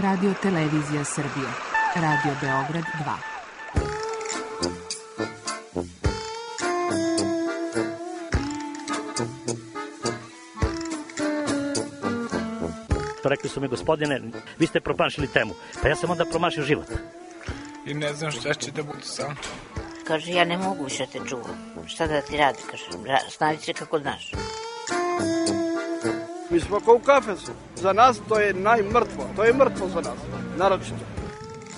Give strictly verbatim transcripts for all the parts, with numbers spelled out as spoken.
Radio Televizija Srbije. Radio Beograd dva. Rekli su mi, gospodine, vi ste promašili temu. Pa ja sam onda promašio život. I ne znam šta će da bude sam. Kaže, ja ne mogu više te čuvam. Šta da ti radi, kaže, snađi se kako znaš. Mi smo kao u kafesu. Za nas to je najmrtvo. To je mrtvo za nas, naročito.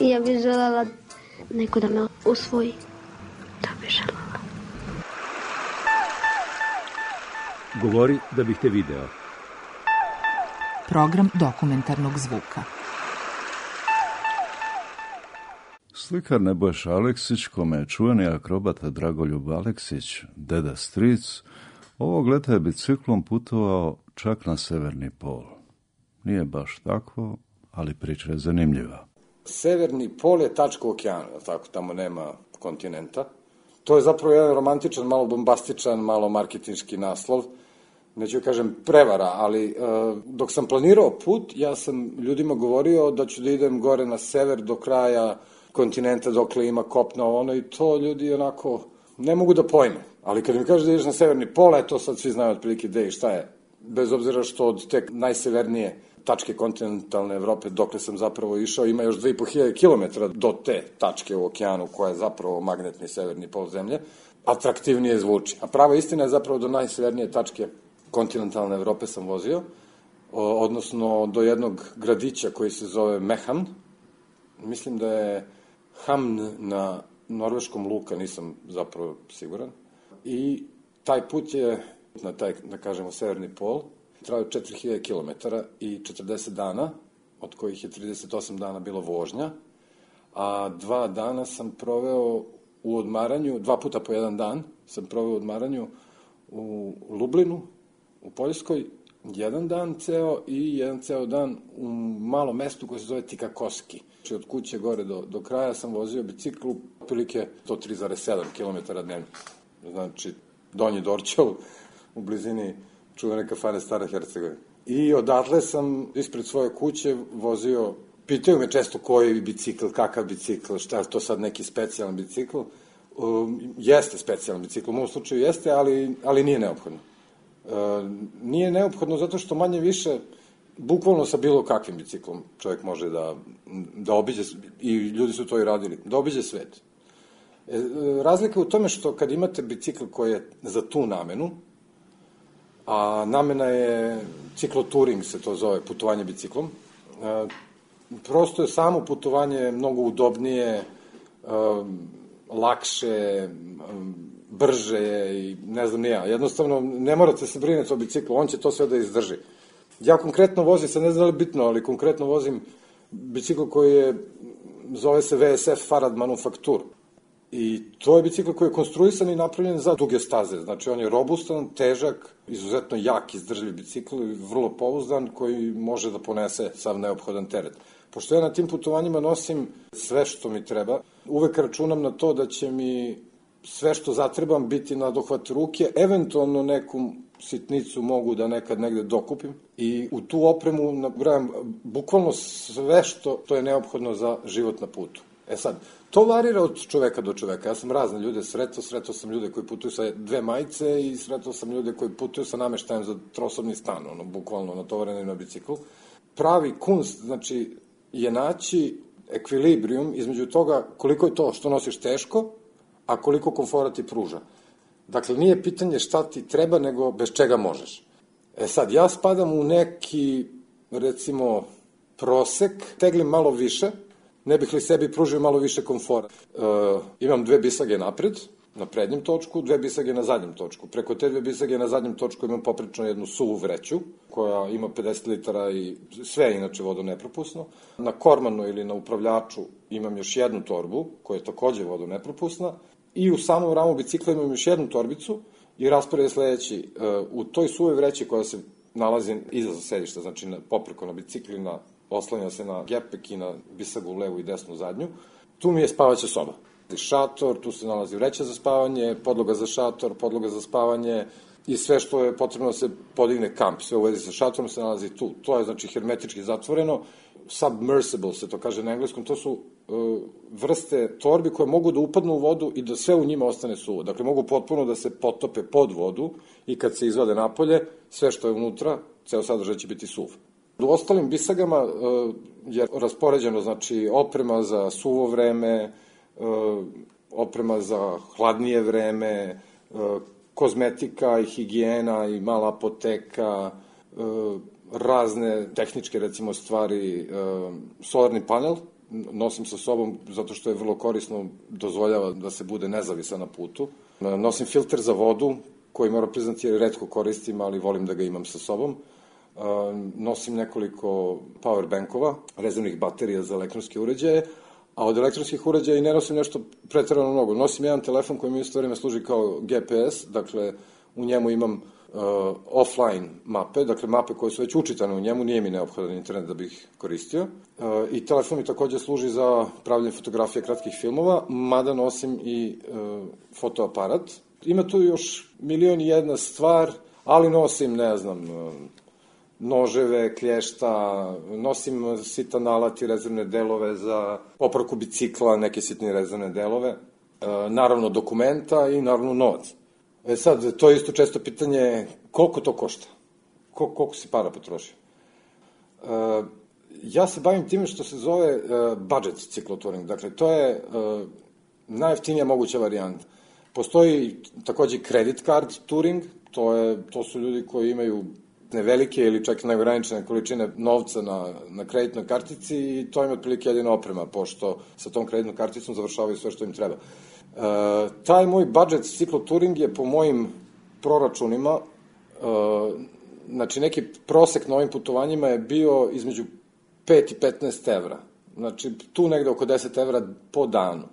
Ja bih želela neko da me usvoji. Da bih želela. Govori da bih te video. Program dokumentarnog zvuka. Slikar Nebojša Aleksić, kome je čuveni akrobata Dragoljub Aleksić, deda stric, ovog leta je biciklom putovao čak na severni pol. Nije baš tako, ali priča je zanimljiva. Severni pol je tačka u okeanu, tako, tamo nema kontinenta. To je zapravo jedan romantičan, malo bombastičan, malo marketinški naslov. Neću kažem prevara, ali uh, dok sam planirao put, ja sam ljudima govorio da ću da idem gore na sever do kraja kontinenta, dokle ima kopna ono, i to ljudi onako ne mogu da pojme. Ali kad mi kažeš da ideš na severni pol, to sad svi znaju otprilike gde i šta je. Bez obzira što od te najsevernije tačke kontinentalne Evrope, dokle sam zapravo išao, ima još dve i po hiljade kilometara do te tačke u okeanu, koja je zapravo magnetni severni pol zemlje, atraktivnije zvuči. A prava istina je zapravo do najsevernije tačke kontinentalne Evrope sam vozio, odnosno do jednog gradića koji se zove Mehamn. Mislim da je Hamn na norveškom Luka, nisam zapravo siguran. I taj put je na taj, da kažemo, severni pol, trajao četiri hiljade kilometara i četrdeset dana, od kojih je trideset osam dana bilo vožnja, a dva dana sam proveo u odmaranju, dva puta po jedan dan sam proveo u odmaranju u Lublinu, u Poljskoj, jedan dan ceo i jedan ceo dan u malom mestu koje se zove Tikakoski. Znači, od kuće gore do, do kraja sam vozio biciklu, otprilike sto tri zarez sedam kilometara dnevno. Znači, Donji Dorćol, u blizini čuvene kafane Stara Hercegovina. I odatle sam ispred svoje kuće vozio, pitaju me često koji bicikl, kakav bicikl, šta je to sad neki specijalan bicikl. Um, jeste specijalan bicikl, u mom slučaju jeste, ali, ali nije neophodno. Uh, nije neophodno zato što manje više, bukvalno sa bilo kakvim biciklom čovjek može da, da obiđe, i ljudi su to i radili, da obiđe svet. E, razlika je u tome što kad imate bicikl koji je za tu namenu, a namena je cikloturing, se to zove, putovanje biciklom, e, prosto je samo putovanje mnogo udobnije, e, lakše, brže i ne znam nija. Jednostavno, ne morate se brinuti o biciklu, on će to sve da izdrži. Ja konkretno vozim, sad ne znam da li bitno, ali konkretno vozim bicikl koji je, zove se V S F Farad Manufaktur. I to je bicikl koji je konstruisan i napravljen za duge staze. Znači, on je robustan, težak, izuzetno jak, izdržljiv bicikl i vrlo pouzdan, koji može da ponese sav neophodan teret. Pošto ja na tim putovanjima nosim sve što mi treba, uvek računam na to da će mi sve što zatrebam biti na dohvat ruke, eventualno neku sitnicu mogu da nekad negde dokupim i u tu opremu nabrajam bukvalno sve što to je neophodno za život na putu. E sad, to varira od čoveka do čoveka. Ja sam razne ljude sretao, sretao sam ljude koji putuju sa dve majice i sretao sam ljude koji putuju sa nameštajem za trosobni stan, ono, bukvalno natovareni na biciklu. Pravi kunst, znači, je naći ekvilibrijum između toga koliko je to što nosiš teško, a koliko komfora ti pruža. Dakle, nije pitanje šta ti treba, nego bez čega možeš. E sad, ja spadam u neki, recimo, prosek, teglim malo više, ne bih li sebi pružio malo više komfora. E, imam dve bisage napred, na prednjem točku, dve bisage na zadnjem točku. Preko te dve bisage na zadnjem točku imam poprično jednu suvu vreću, koja ima pedeset litara i sve je inače vodonepropusno. Na kormanu ili na upravljaču imam još jednu torbu, koja je takođe vodonepropusna. I u samom ramu bicikla imam još jednu torbicu i raspored je sledeći. U toj suvoj vreći koja se nalazi iza sedišta, znači popreko na bicikli, na, oslanja se na gepek i na bisagu levu i desnu zadnju, tu mi je spavaća soba. Šator, tu se nalazi vreća za spavanje, podloga za šator, podloga za spavanje i sve što je potrebno da se podigne kamp. Sve u vezi sa šatorom se nalazi tu. To je znači hermetički zatvoreno. submersible, se to kaže na engleskom, to su uh, vrste torbi koje mogu da upadnu u vodu i da sve u njima ostane suvo. Dakle, mogu potpuno da se potope pod vodu i kad se izvade napolje, sve što je unutra, ceo sadržaj će biti suv. U ostalim bisagama uh, je raspoređeno, znači, oprema za suvo vreme, uh, oprema za hladnije vreme, uh, kozmetika i higijena i mala apoteka, uh, razne tehničke, recimo, stvari, uh, solarni panel nosim sa sobom zato što je vrlo korisno, dozvoljava da se bude nezavisan na putu. Uh, nosim filter za vodu, koji moram priznati jer retko koristim, ali volim da ga imam sa sobom. Uh, nosim nekoliko power bankova, rezervnih baterija za elektronske uređaje, a od elektronskih uređaja i ne nosim nešto preterano mnogo. Nosim jedan telefon koji mi isto vreme služi kao G P S, dakle u njemu imam uh, offline mape, dakle mape koje su već učitane u njemu, nije mi neophodan internet da bih koristio. Uh, I telefon mi takođe služi za pravljanje fotografije kratkih filmova, mada nosim i uh, fotoaparat. Ima tu još milion i jedna stvar, ali nosim, ne znam, uh, noževe, klješta, nosim sitan alat i rezervne delove za popravku bicikla, neke sitne rezervne delove, e, naravno dokumenta i naravno novac. E sad, to je isto često pitanje koliko to košta, Kol, koliko si para potrošio. E, ja se bavim time što se zove e, budget ciklotouring, dakle to je e, najjeftinija moguća varijanta. Postoji takođe credit card touring, to, je, to su ljudi koji imaju velike ili čak neograničene količine novca na, na kreditnoj kartici i to im je otprilike jedina oprema, pošto sa tom kreditnom karticom završavaju sve što im treba. E, taj moj budget ciklotouring je po mojim proračunima, e, znači neki prosek na ovim putovanjima je bio između pet i petnaest evra. Znači tu negde oko deset evra po danu.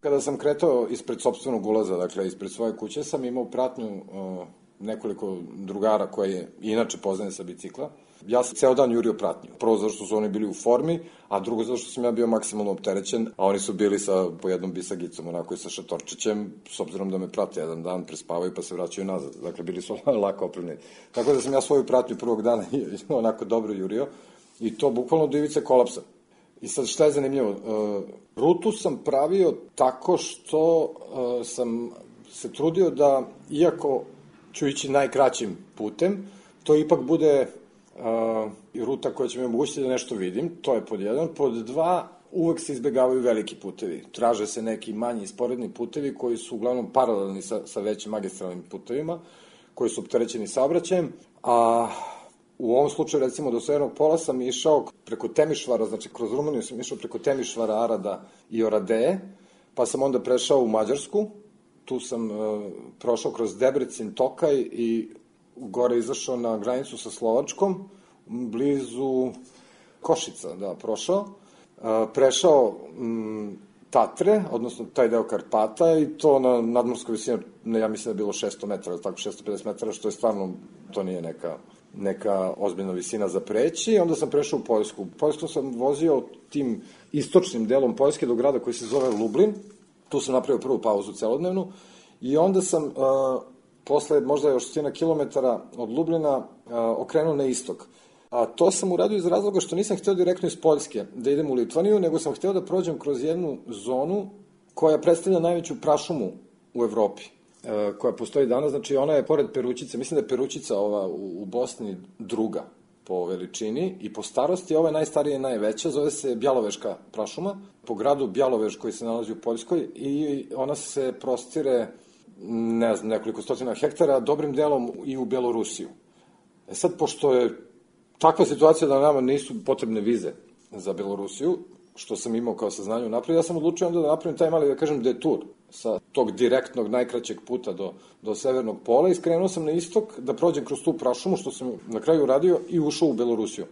Kada sam kretao ispred sopstvenog ulaza, dakle ispred svoje kuće, sam imao pratnju e, nekoliko drugara koje inače poznajem sa bicikla. Ja sam ceo dan jurio pratnju. Prvo zato što su oni bili u formi, a drugo zato što sam ja bio maksimalno opterećen, a oni su bili sa po jednom bisagicom, onako i sa šatorčićem, s obzirom da me prate jedan dan, prespavaju pa se vraćaju nazad. Dakle, bili su lako opremljeni. Tako da sam ja svoju pratnju prvog dana onako dobro jurio i to bukvalno do ivice kolapsa. I sad šta je zanimljivo? Uh, rutu sam pravio tako što uh, sam se trudio da, iako ću ići najkraćim putem, to ipak bude uh, ruta koja će mi omogućiti da nešto vidim, to je pod jedan. Pod dva, uvek se izbegavaju veliki putevi. Traže se neki manji i sporedni putevi koji su uglavnom paralelni sa, sa većim magistralnim putevima, koji su opterećeni saobraćajem, a u ovom slučaju, recimo, do Severnog pola sam išao preko Temišvara, znači kroz Rumuniju sam išao preko Temišvara, Arada i Oradeje, pa sam onda prešao u Mađarsku, tu sam uh, prošao kroz Debrecin, Tokaj i gore izašao na granicu sa Slovačkom, blizu Košica, da, prošao. Uh, prešao um, Tatre, odnosno taj deo Karpata i to na nadmorskoj visini, ja mislim da je bilo šesto metara, tako šesto pedeset metara, što je stvarno, to nije neka, neka ozbiljna visina za preći. I onda sam prešao u Poljsku. U Poljsku sam vozio tim istočnim delom Poljske do grada koji se zove Lublin. Tu sam napravio prvu pauzu celodnevnu i onda sam uh, posle možda još stotina kilometara od Lublina uh, okrenuo na istok. A to sam uradio iz razloga što nisam hteo direktno iz Poljske da idem u Litvaniju, nego sam hteo da prođem kroz jednu zonu koja predstavlja najveću prašumu u Evropi, uh, koja postoji danas. Znači ona je pored Perućice, mislim da je Perućica ova u, u Bosni druga po veličini i po starosti, ova je najstarija i najveća, zove se Bjaloveška prašuma, po gradu Bjaloveš koji se nalazi u Poljskoj i ona se prostire, ne znam, nekoliko stotina hektara, dobrim delom i u Belorusiju. E sad, pošto je takva situacija da nama nisu potrebne vize za Belorusiju, što sam imao kao saznanje unapred, ja sam odlučio onda da napravim taj mali, da kažem, detur sa tog direktnog, najkraćeg puta do, do Severnog pola i skrenuo sam na istok da prođem kroz tu prašumu, što sam na kraju uradio i ušao u Belorusiju.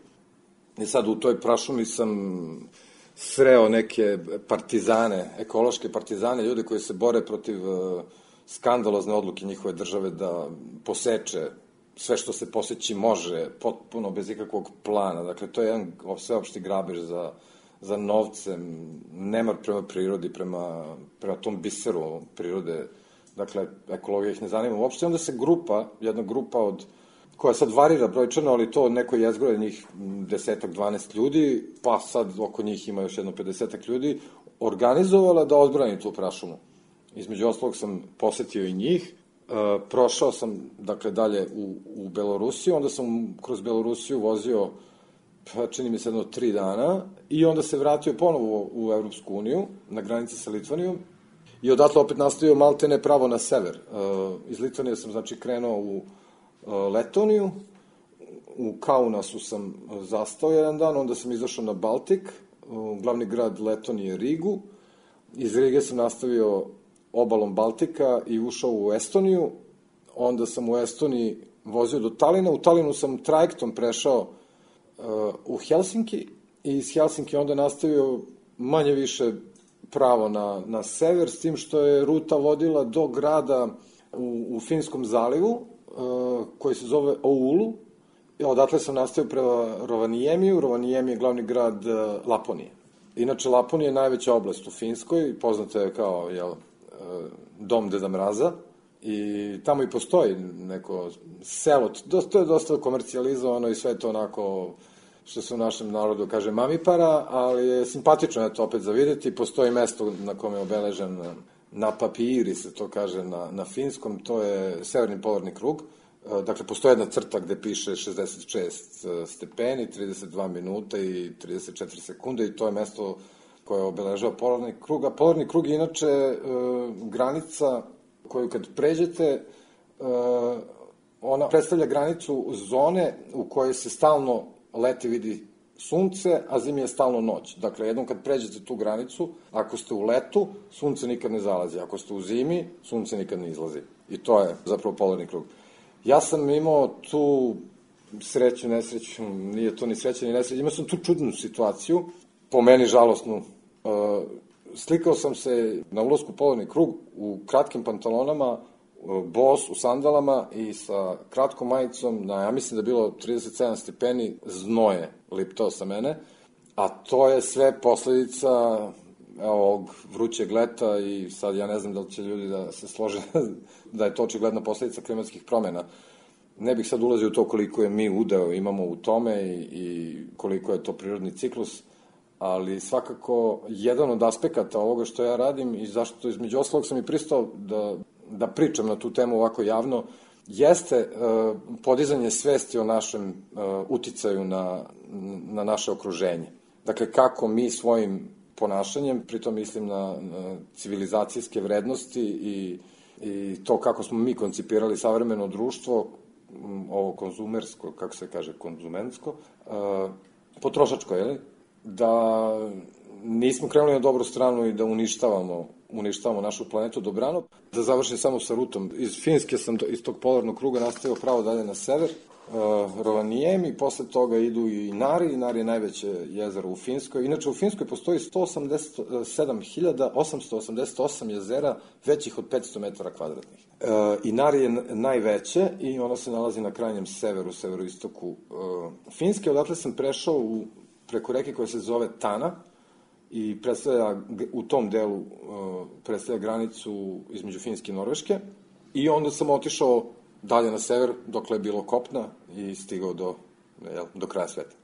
I sad u toj prašumi sam sreo neke partizane, ekološke partizane, ljude koji se bore protiv uh, skandalozne odluke njihove države da poseče sve što se poseći može, potpuno bez ikakvog plana. Dakle, to je jedan sveopšti grabež za, za novcem, nemar prema prirodi, prema, prema tom biseru prirode. Dakle, ekologija ih ne zanima uopšte. Onda se grupa, jedna grupa od koja sad varira brojčano, ali to neko jezgro njih desetak, dvanaest ljudi, pa sad oko njih ima još jedno pedesetak ljudi, organizovala da odbrani tu prašumu. Između ostalog sam posetio i njih, e, prošao sam, dakle, dalje u, u Belorusiju, onda sam kroz Belorusiju vozio, pa čini mi se jedno tri dana, i onda se vratio ponovo u Evropsku uniju, na granici sa Litvanijom, i odatle opet nastavio maltene pravo na sever. E, iz Litvanije sam, znači, krenuo u e, Letoniju, u Kaunasu sam zastao jedan dan, onda sam izašao na Baltik, u glavni grad Letonije Rigu, iz Rige sam nastavio obalom Baltika i ušao u Estoniju, onda sam u Estoniji vozio do Talina, u Talinu sam trajektom prešao uh, u Helsinki i iz Helsinki onda nastavio manje više pravo na, na sever, s tim što je ruta vodila do grada u, u Finskom zalivu, uh, koji se zove Oulu. Odatle sam nastavio prema Rovaniemiju. Rovaniemi je glavni grad uh, Laponije. Inače, Laponija je najveća oblast u Finskoj, poznata je kao, jel, uh, dom Deda Mraza, i tamo i postoji neko selo, to je dosta komercijalizovano i sve to onako, što se u našem narodu kaže mamipara, ali je simpatično je to opet za vidjeti. Postoji mesto na kome je obeležen na papiri, se to kaže na, na finskom, to je severni polarni krug. Dakle, postoji jedna crta gde piše šezdeset šest stepeni, trideset dva minuta i trideset četiri sekunde, i to je mesto koje obeležava polarni krug. A polarni krug je inače e, granica koju kad pređete, e, ona predstavlja granicu zone u kojoj se stalno leti vidi sunce, a zimi je stalno noć. Dakle, jednom kad pređete tu granicu, ako ste u letu, sunce nikad ne zalazi. Ako ste u zimi, sunce nikad ne izlazi. I to je zapravo polarni krug. Ja sam imao tu sreću, nesreću, nije to ni sreća ni nesreća, imao sam tu čudnu situaciju, po meni žalosnu. Slikao sam se na ulasku u polarni krug u kratkim pantalonama, bos, u sandalama i sa kratkom majicom, na, ja mislim da je bilo trideset sedam stepeni, znoje liptao sa mene, a to je sve posledica ovog vrućeg leta, i sad ja ne znam da li će ljudi da se slože da je to očigledna posledica klimatskih promjena. Ne bih sad ulazio u to koliko je mi udeo imamo u tome i, i koliko je to prirodni ciklus, ali svakako jedan od aspekata ovoga što ja radim i zašto između ostalog sam i pristao da, da pričam na tu temu ovako javno, jeste uh, podizanje svesti o našem uh, uticaju na, na naše okruženje. Dakle, kako mi svojim ponašanjem, pritom mislim na, na civilizacijske vrednosti i, i to kako smo mi koncipirali savremeno društvo, ovo konzumersko, kako se kaže, konzumensko, uh, potrošačko, je li? Da nismo krenuli na dobru stranu i da uništavamo, uništavamo našu planetu dobrano. Da završim samo sa rutom. Iz Finske sam, iz tog polarnog kruga nastavio pravo dalje na sever, uh, Rovaniemi, posle toga idu i Inari. Inari je najveće jezero u Finskoj. Inače, u Finskoj postoji sto osamdeset sedam hiljada osamsto osamdeset osam jezera većih od petsto metara kvadratnih. Uh, Inari je najveće i ono se nalazi na krajnjem severu, severoistoku uh, Finske. Odatle sam prešao u, preko reke koja se zove Tana i predstavlja u tom delu uh, predstavlja granicu između Finske i Norveške, i onda sam otišao dalje na sever dokle je bilo kopna i stigao do, jel, do kraja sveta.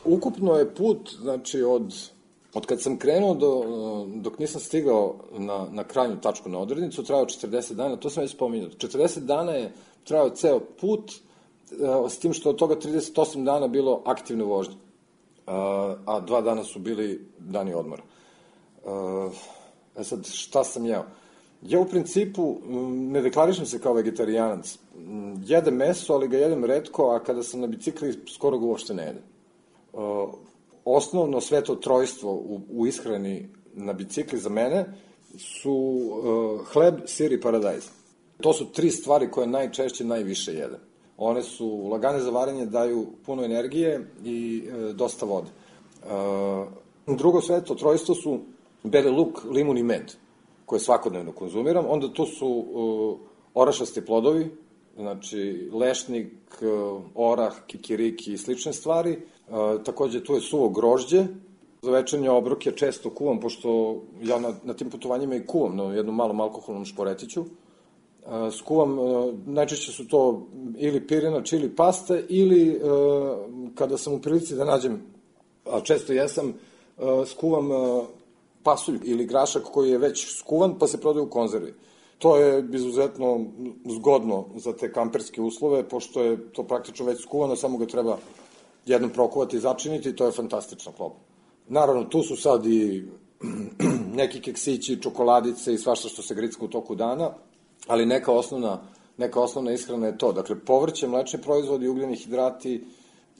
Ukupno je put, znači, od, od kad sam krenuo do, dok nisam stigao na, na krajnju tačku na odrednicu, trajao četrdeset dana, to sam već spominjao. četrdeset dana je trajao ceo put, s tim što od toga trideset osam dana bilo aktivne vožnje, a dva dana su bili dani odmora. E sad, šta sam jeo? Ja u principu ne deklarišem se kao vegetarijanac. Jedem meso, ali ga jedem retko, a kada sam na bicikli skoro ga uopšte ne jedem. Uh, osnovno sveto trojstvo u, u ishrani na bicikli za mene su uh, hleb, sir i paradajz. To su tri stvari koje najčešće najviše jedem. One su lagane za varenje, daju puno energije i uh, dosta vode. Uh, drugo sveto trojstvo su beli luk, limun i med, koje svakodnevno konzumiram. Onda tu su uh, orašasti plodovi, znači lešnik, uh, orah, kikiriki i slične stvari. Uh, takođe tu je suvo grožđe. Za večernje obroke često kuvam, pošto ja na, na tim putovanjima i kuvam na jednom malom alkoholnom šporetiću. Uh, skuvam, uh, najčešće su to ili pirinač ili pasta, ili uh, kada sam u prilici da nađem, a često jesam, uh, skuvam uh, pasulj ili grašak koji je već skuvan pa se prodaje u konzervi. To je izuzetno zgodno za te kamperske uslove, pošto je to praktično već skuvano, samo ga treba jednom prokuvati i začiniti i to je fantastično klopa. Naravno, tu su sad i neki keksići, čokoladice i svašta što se gricka u toku dana, ali neka osnovna, neka osnovna ishrana je to. Dakle, povrće, mlečni proizvodi, ugljeni hidrati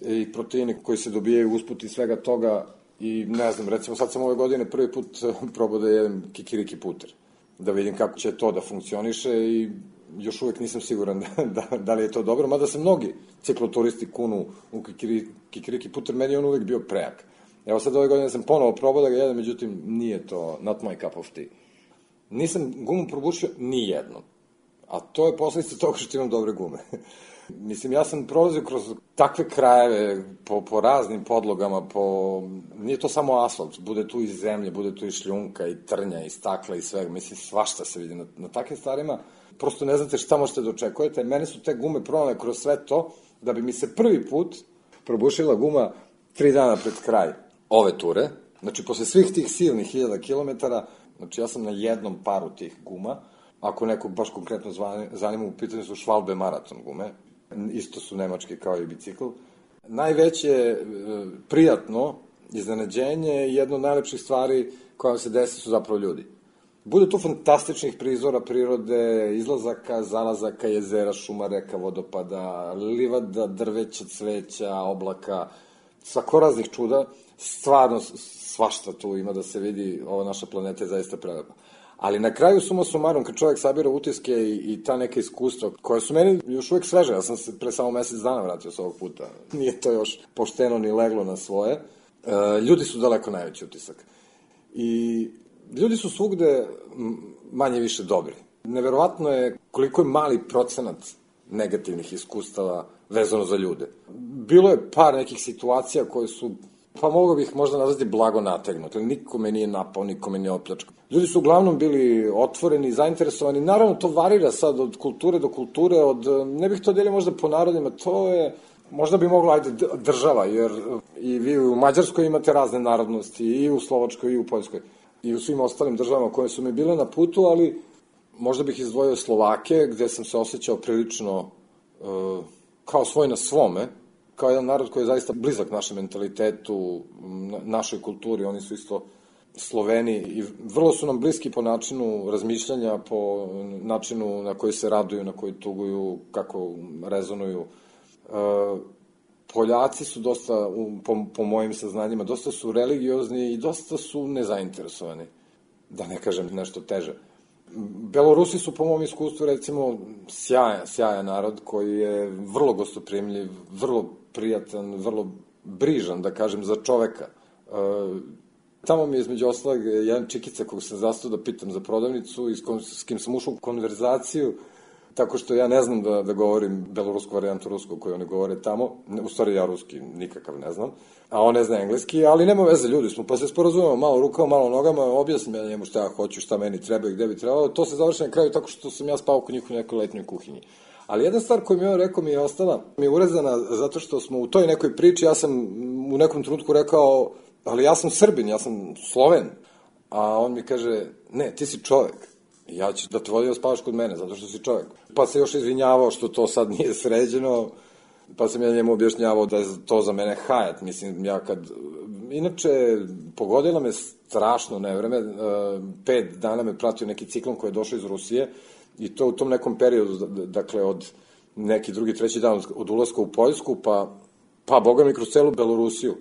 i proteini koji se dobijaju usput iz svega toga i ne znam, recimo sad sam ove godine prvi put probao da jedem kikiriki puter, da vidim kako će to da funkcioniše i još uvek nisam siguran da, da, da li je to dobro, mada se mnogi cikloturisti kunu u kikiri, kikiriki puter, meni je on uvek bio prejak. Evo sad ove godine sam ponovo probao da ga jedem, međutim nije to not my cup of tea. Nisam gumu probušio ni jednom, a to je posledica toga što imam dobre gume. Mislim, ja sam prolazio kroz takve krajeve, po, po raznim podlogama, po... nije to samo asfalt, bude tu i zemlje, bude tu i šljunka, i trnja, i stakla, i svega, mislim, svašta se vidi na, na takvim stvarima. Prosto ne znate šta možete da očekujete. Mene su te gume pronale kroz sve to, da bi mi se prvi put probušila guma tri dana pred kraj ove ture. Znači, posle svih tih silnih hiljada kilometara, znači ja sam na jednom paru tih guma. Ako neko baš konkretno zanima, u pitanju su Schwalbe maraton gume, isto su nemačke kao i bicikl. Najveće prijatno iznenađenje i jedno od najlepših stvari koja vam se desi su zapravo ljudi. Bude tu fantastičnih prizora prirode, izlazaka, zalazaka, jezera, šuma, reka, vodopada, livada, drveća, cveća, oblaka, svakoraznih čuda. Stvarno svašta tu ima da se vidi, ova naša planeta je zaista prelepa. Ali na kraju suma sumarum, kad čovjek sabira utiske i, i ta neka iskustva, koje su meni još uvek sveže, ja sam se pre samo mesec dana vratio s ovog puta, nije to još pošteno ni leglo na svoje, e, ljudi su daleko najveći utisak. I ljudi su svugde manje više dobri. Neverovatno je koliko je mali procenat negativnih iskustava vezano za ljude. Bilo je par nekih situacija koje su, pa mogu bih možda nazvati blago nategnuti, ali niko me nije napao, niko me nije opljačkao. Ljudi su uglavnom bili otvoreni, zainteresovani, naravno to varira sad od kulture do kulture, od, ne bih to delio možda po narodima, to je, možda bi mogla, ajde, država, jer i vi u Mađarskoj imate razne narodnosti, i u Slovačkoj, i u Poljskoj, i u svim ostalim državama koje su mi bile na putu, ali možda bih izdvojio Slovake, gde sam se osjećao prilično uh, kao svoj na svome, kao jedan narod koji je zaista blizak našem mentalitetu, našoj kulturi, oni su isto Sloveni i vrlo su nam bliski po načinu razmišljanja, po načinu na koji se raduju, na koji tuguju, kako rezonuju. E, Poljaci su dosta, po, po mojim saznanjima, dosta su religiozni i dosta su nezainteresovani, da ne kažem nešto teže. Belorusi su po mom iskustvu, recimo, sjajan, sjajan narod koji je vrlo gostoprimljiv, vrlo prijatan, vrlo brižan, da kažem, za čoveka. E, tamo mi je između ostalog jedan čikica kog sam zastao da pitam za prodavnicu i s, kom, s kim sam ušao u konverzaciju, tako što ja ne znam da, da govorim belorusku varijantu ruskog koju oni govore tamo, u stvari ja ruski nikakav ne znam, a on ne zna engleski, ali nema veze, ljudi smo, pa se sporazumemo malo rukama, malo nogama, objasnim ja njemu šta ja hoću, šta meni treba i gde bi trebalo, to se završi na kraju tako što sam ja spao kod njih u nekoj letnjoj kuhinji. Ali jedna stvar koju mi je on rekao mi je ostala, mi je urezana zato što smo u toj nekoj priči, ja sam u nekom trenutku rekao, ali ja sam Srbin, ja sam Sloven, a on mi kaže, ne, ti si čovek. Ja ću da te vodim da spavaš kod mene, zato što si čovek. Pa se još izvinjavao što to sad nije sređeno, pa sam ja njemu objašnjavao da je to za mene hajat. Mislim, ja kad... Inače, pogodila me strašno nevreme, pet dana me pratio neki ciklon koji je došao iz Rusije i to u tom nekom periodu, dakle, od neki drugi, treći dan od ulaska u Poljsku, pa, pa boga mi kroz celu Belorusiju.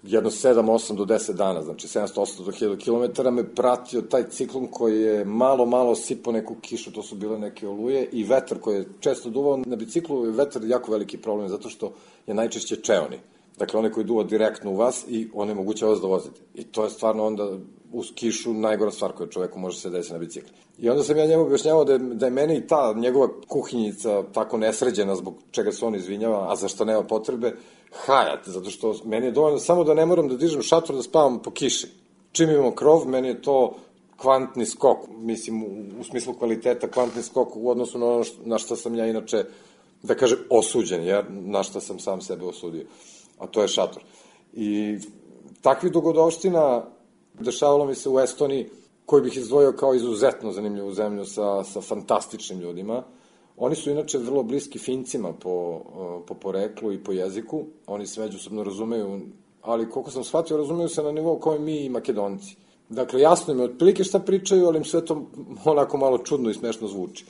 Jedno sedam, osam do deset dana, znači sedamsto osamsto do hiljadu kilometara me pratio taj ciklon koji je malo, malo sipao neku kišu, to su bile neke oluje i vetar koji je često duvao na biciklu, vetar je jako veliki problem zato što je najčešće čeoni. Dakle, onaj koji duva direktno u vas i onemogućava vas da vozite. I to je stvarno onda uz kišu najgora stvar koja čoveku može se desiti na bicikli. I onda sam ja njemu objašnjavao da je, da je meni i ta njegova kuhinjica tako nesređena zbog čega se on izvinjava, a za što nema potrebe, hajat, zato što meni je dovoljno samo da ne moram da dižem šator da spavam po kiši. Čim imamo krov, meni je to kvantni skok, mislim u, u smislu kvaliteta kvantni skok u odnosu na ono što, na što sam ja inače, da kažem, osuđen, jer na što sam sam sebe osudio, a to je šator. I takvih dogodovština dešavalo mi se u Estoniji, koji bih izdvojio kao izuzetno zanimljivu zemlju sa, sa fantastičnim ljudima. Oni su inače vrlo bliski Fincima po, po poreklu i po jeziku, oni se međusobno razumeju, ali koliko sam shvatio, razumeju se na nivou kao i mi i Makedonci. Dakle, jasno im je otprilike šta pričaju, ali im sve to onako malo čudno i smešno zvuči.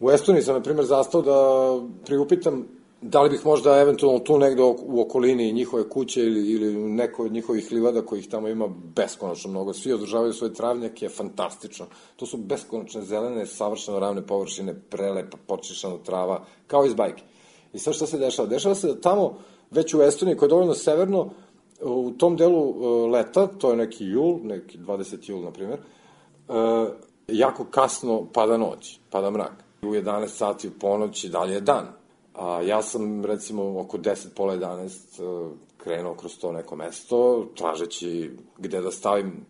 U Estoniji sam, na primjer, zastao da priupitam da li bih možda eventualno tu negde u okolini njihove kuće ili, ili neko od njihovih livada kojih tamo ima beskonačno mnogo. Svi održavaju svoje travnjake, fantastično. To su beskonačne zelene, savršeno ravne površine, prelepa, počišana trava, kao iz bajke. I sad šta se dešava? Dešava se da tamo, već u Estoniji, koja je dovoljno severno, u tom delu leta, to je neki jul, neki dvadeseti jul, na primjer, jako kasno pada noć, pada mrak. U jedanaest sati u ponoći dalje je dan. A ja sam, recimo, oko deset, pola jedanaest krenuo kroz to neko mesto, tražeći gde da stavim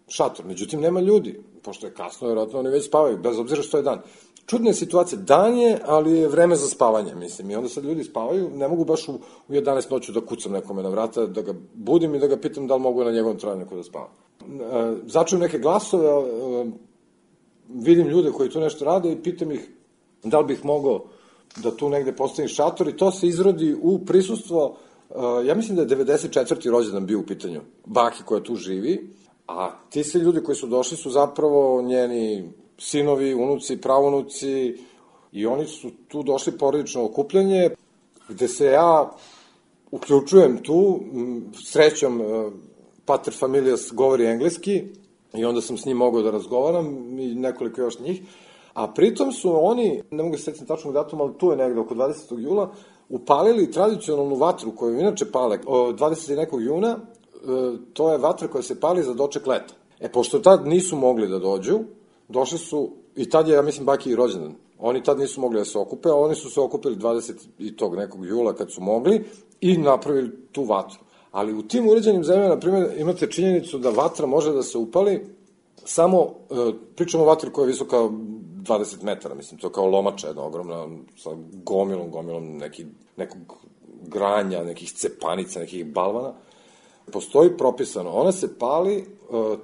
šator. Međutim, nema ljudi, pošto je kasno, vjerojatno oni već spavaju, bez obzira što je dan. Čudna je situacija, dan je, ali je vreme za spavanje, mislim, i onda sad ljudi spavaju, ne mogu baš u, u jedanaest noću da kucam nekome na vrata, da ga budim i da ga pitam da li mogu na njegovom travnjaku da spavam. E, začujem neke glasove, e, vidim ljude koji tu nešto rade i pitam ih da li bih mogao da tu negde postavim šator i to se izrodi u prisustvo, uh, ja mislim da je devedeset četvrti rođendan bio u pitanju, baki koja tu živi, a ti se ljudi koji su došli su zapravo njeni sinovi, unuci, pravunuci i oni su tu došli porodično okupljanje, gde se ja uključujem tu, srećom uh, pater familijas govori engleski i onda sam s njim mogao da razgovaram i nekoliko još njih. A pritom su oni, ne mogu se setiti tačnog datuma, ali tu je negde oko dvadesetog jula, upalili tradicionalnu vatru koju inače pale dvadesetog nekog juna, to je vatra koja se pali za doček leta. E, pošto tad nisu mogli da dođu, došli su, i tad je, ja mislim, baki i rođendan. Oni tad nisu mogli da se okupe, a oni su se okupili dvadesetog nekog jula kad su mogli i napravili tu vatru. Ali u tim uređenim zemljama, na primjer, imate činjenicu da vatra može da se upali samo, pričamo o vatri koja je visoka dvadeset metara, mislim, to je kao lomača jedna ogromna, sa gomilom, gomilom neki, nekog granja, nekih cepanica, nekih balvana. Postoji propisano, ona se pali e,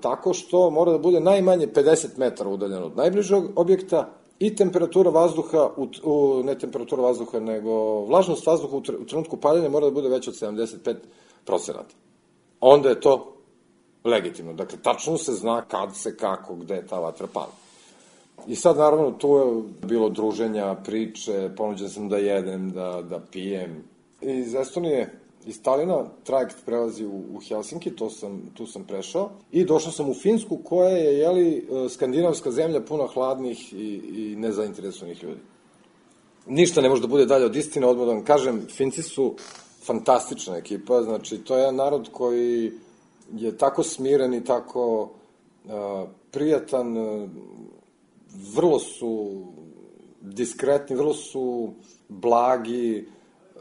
tako što mora da bude najmanje pedeset metara udaljeno od najbližeg objekta i temperatura vazduha, u, u, ne temperatura vazduha, nego vlažnost vazduha u, tr, u trenutku paljenja mora da bude već od sedamdeset pet procenata. Onda je to legitimno. Dakle, tačno se zna kad se, kako, gde ta vatra pali. I sad, naravno, tu je bilo druženja, priče, ponuđen sam da jedem, da, da pijem. Iz Estonije, iz Talina, trajekt prelazi u, u Helsinki, to sam, tu sam prešao. I došao sam u Finsku, koja je, jeli, skandinavska zemlja puna hladnih i, i nezainteresovanih ljudi. Ništa ne može da bude dalje od istine, odmah da vam kažem, Finci su fantastična ekipa, znači, to je jedan narod koji je tako smiren i tako uh, prijatan, uh, vrlo su diskretni, vrlo su blagi,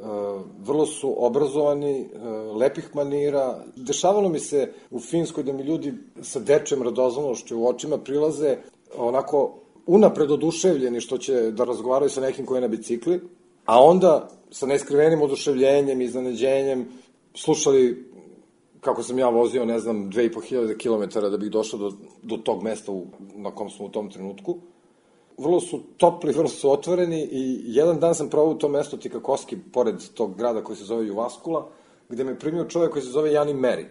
uh, vrlo su obrazovani, uh, lepih manira. Dešavalo mi se u Finskoj da mi ljudi sa dečjem radoznalošću u očima prilaze onako unapred oduševljeni što će da razgovaraju sa nekim koji je na bicikli, a onda sa neskrivenim oduševljenjem i iznenađenjem slušali kako sam ja vozio, ne znam, dve i po hiljade kilometara da bih došao do, do tog mesta u, na kom smo u tom trenutku. Vrlo su topli, vrlo su otvoreni i jedan dan sam provao u tom mesto Tikakoski, pored tog grada koji se zove Juvaskula, gde me primio čovjek koji se zove Jani Meri.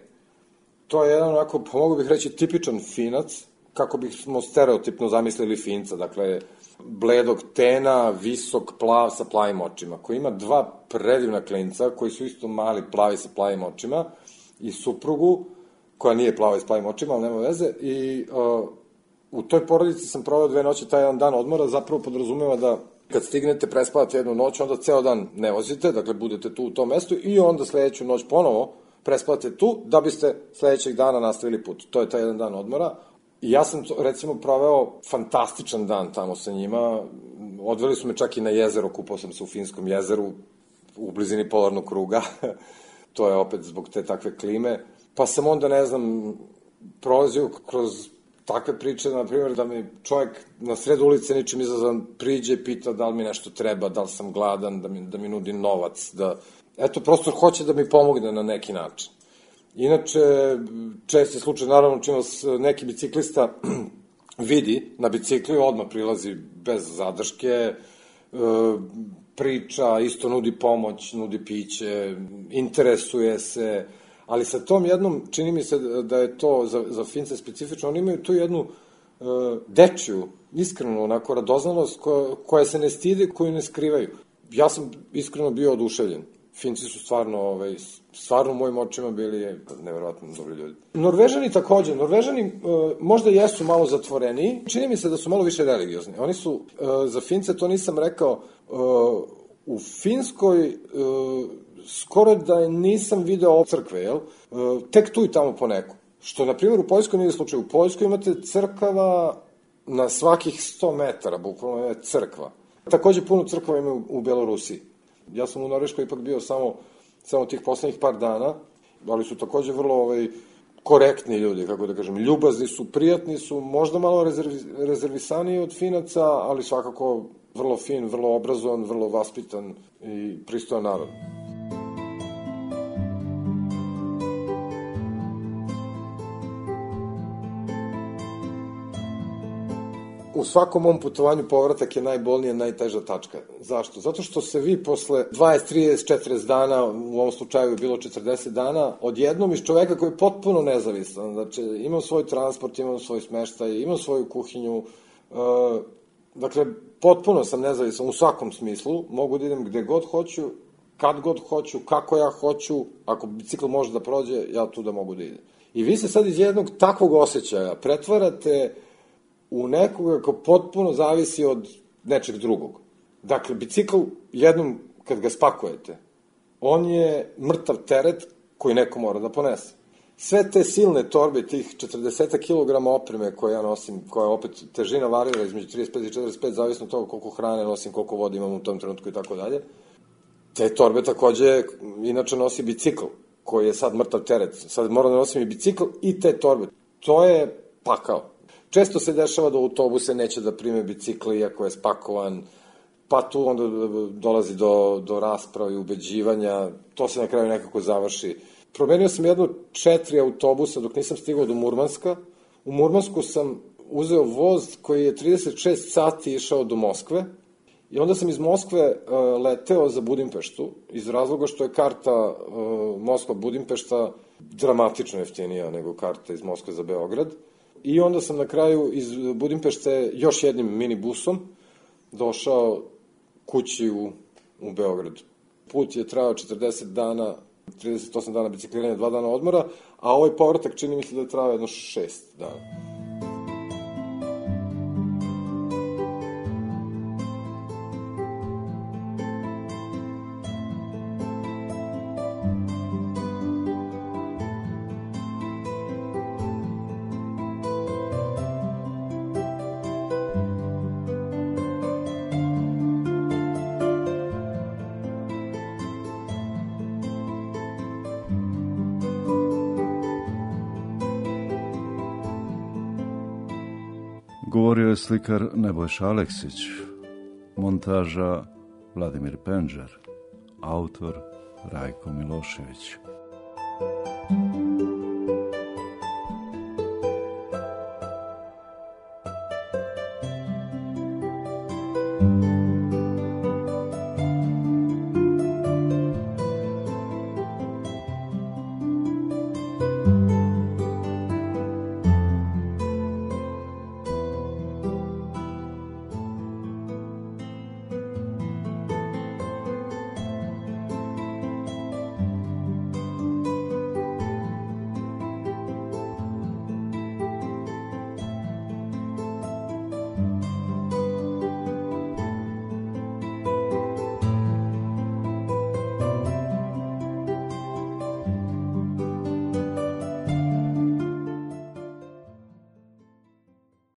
To je jedan onako, pa mogu bih reći, tipičan Finac, kako bismo stereotipno zamislili Finca, dakle, bledog tena, visok, plav, sa plavim očima, koji ima dva predivna klinca, koji su isto mali, plavi sa plavim očima, i suprugu, koja nije plava i s plavim očima, ali nema veze, i uh, u toj porodici sam proveo dve noći, taj jedan dan odmora, zapravo podrazumeva da Kad stignete, prespavate jednu noć, onda ceo dan ne vozite, dakle budete tu u tom mestu i onda sledeću noć ponovo prespavate tu da biste sledećeg dana nastavili put. To je taj jedan dan odmora. I ja sam, to, recimo, proveo fantastičan dan tamo sa njima. Odveli su me čak i na jezero, kupao sam se u Finskom jezeru, u blizini polarnog kruga. To je opet zbog te takve klime. Pa sam onda, ne znam, prolazio kroz takve priče, na primjer, da mi čovjek na sred ulice ničim izazvan priđe i pita da li mi nešto treba, da li sam gladan, da mi, da mi nudi novac, da... Eto, prosto hoće da mi pomogne na neki način. Inače, česti slučaj, naravno, čim vas neki biciklista vidi na bicikli, odmah prilazi bez zadrške, priča, isto nudi pomoć, nudi piće, interesuje se, ali sa tom jednom, čini mi se da je to za, za Fince specifično, oni imaju tu jednu uh, dečiju, iskrenu, onako, radoznalost koja, koja se ne stide, koju ne skrivaju. Ja sam iskreno bio oduševljen. Finci su stvarno, ovaj, stvarno u mojim očima bili neverovatno dobri ljudi. Norvežani takođe, Norvežani uh, možda jesu malo zatvoreniji, čini mi se da su malo više religiozni. Oni su, uh, za Fince, to nisam rekao, uh, u Finskoj uh, skoro da nisam video crkve, jel? Uh, tek tu i tamo poneko. Što, na primjer, u Poljskoj nije slučaj. U Poljskoj imate crkava na svakih sto metara, bukvalno je crkva. Takođe puno crkava ima u, u Belorusiji. Ja sam u Norveškoj ipak bio samo, samo tih poslednjih par dana, ali su takođe vrlo ovaj, korektni ljudi, kako da kažem, ljubazni su, prijatni su, možda malo rezervi, rezervisaniji od Finaca, ali svakako vrlo fin, vrlo obrazovan, vrlo vaspitan i pristojan narod. U svakom mom putovanju povratak je najbolnija, najteža tačka. Zašto? Zato što se vi posle dvadeset, trideset, četrdeset dana, u ovom slučaju je bilo četrdeset dana, odjednom iz čoveka koji je potpuno nezavisan, znači imam svoj transport, imam svoj smeštaj, imam svoju kuhinju, uh, dakle, potpuno sam nezavisan u svakom smislu, mogu da idem gde god hoću, kad god hoću, kako ja hoću, ako bicikl može da prođe, ja tu da mogu da idem. I vi se sad iz jednog takvog osjećaja pretvarate u nekoga ko potpuno zavisi od nečeg drugog. Dakle, bicikl jednom kad ga spakujete, on je mrtav teret koji neko mora da ponese. Sve te silne torbe, tih četrdeset kilograma opreme koje ja nosim, koja opet težina varira između trideset pet i četrdeset pet, zavisno od toga koliko hrane nosim, koliko vode imam u tom trenutku i tako dalje, te torbe takođe inače nosi bicikl, koji je sad mrtav teret. Sad moram da nosim i bicikl i te torbe. To je pakao. Često se dešava da autobuse neće da prime bicikli iako je spakovan, pa tu onda dolazi do, do rasprava i ubeđivanja, to se na kraju nekako završi. Promenio sam jedno četiri autobusa dok nisam stigao do Murmanska. U Murmansku sam uzeo voz koji je trideset šest sati išao do Moskve i onda sam iz Moskve uh, leteo za Budimpeštu iz razloga što je karta uh, Moskva-Budimpešta dramatično jeftinija nego karta iz Moskve za Beograd. I onda sam na kraju iz Budimpešte još jednim minibusom došao kući u, u Beograd. Put je trajao četrdeset dana, trideset osam dana bicikliranja, dva dana odmora, a ovaj povratak čini mi se da je trajao jedno šest dana. Govorio je slikar Nebojša Aleksić, montaža Vladimir Penđer, autor Rajko Milošević. Thank you.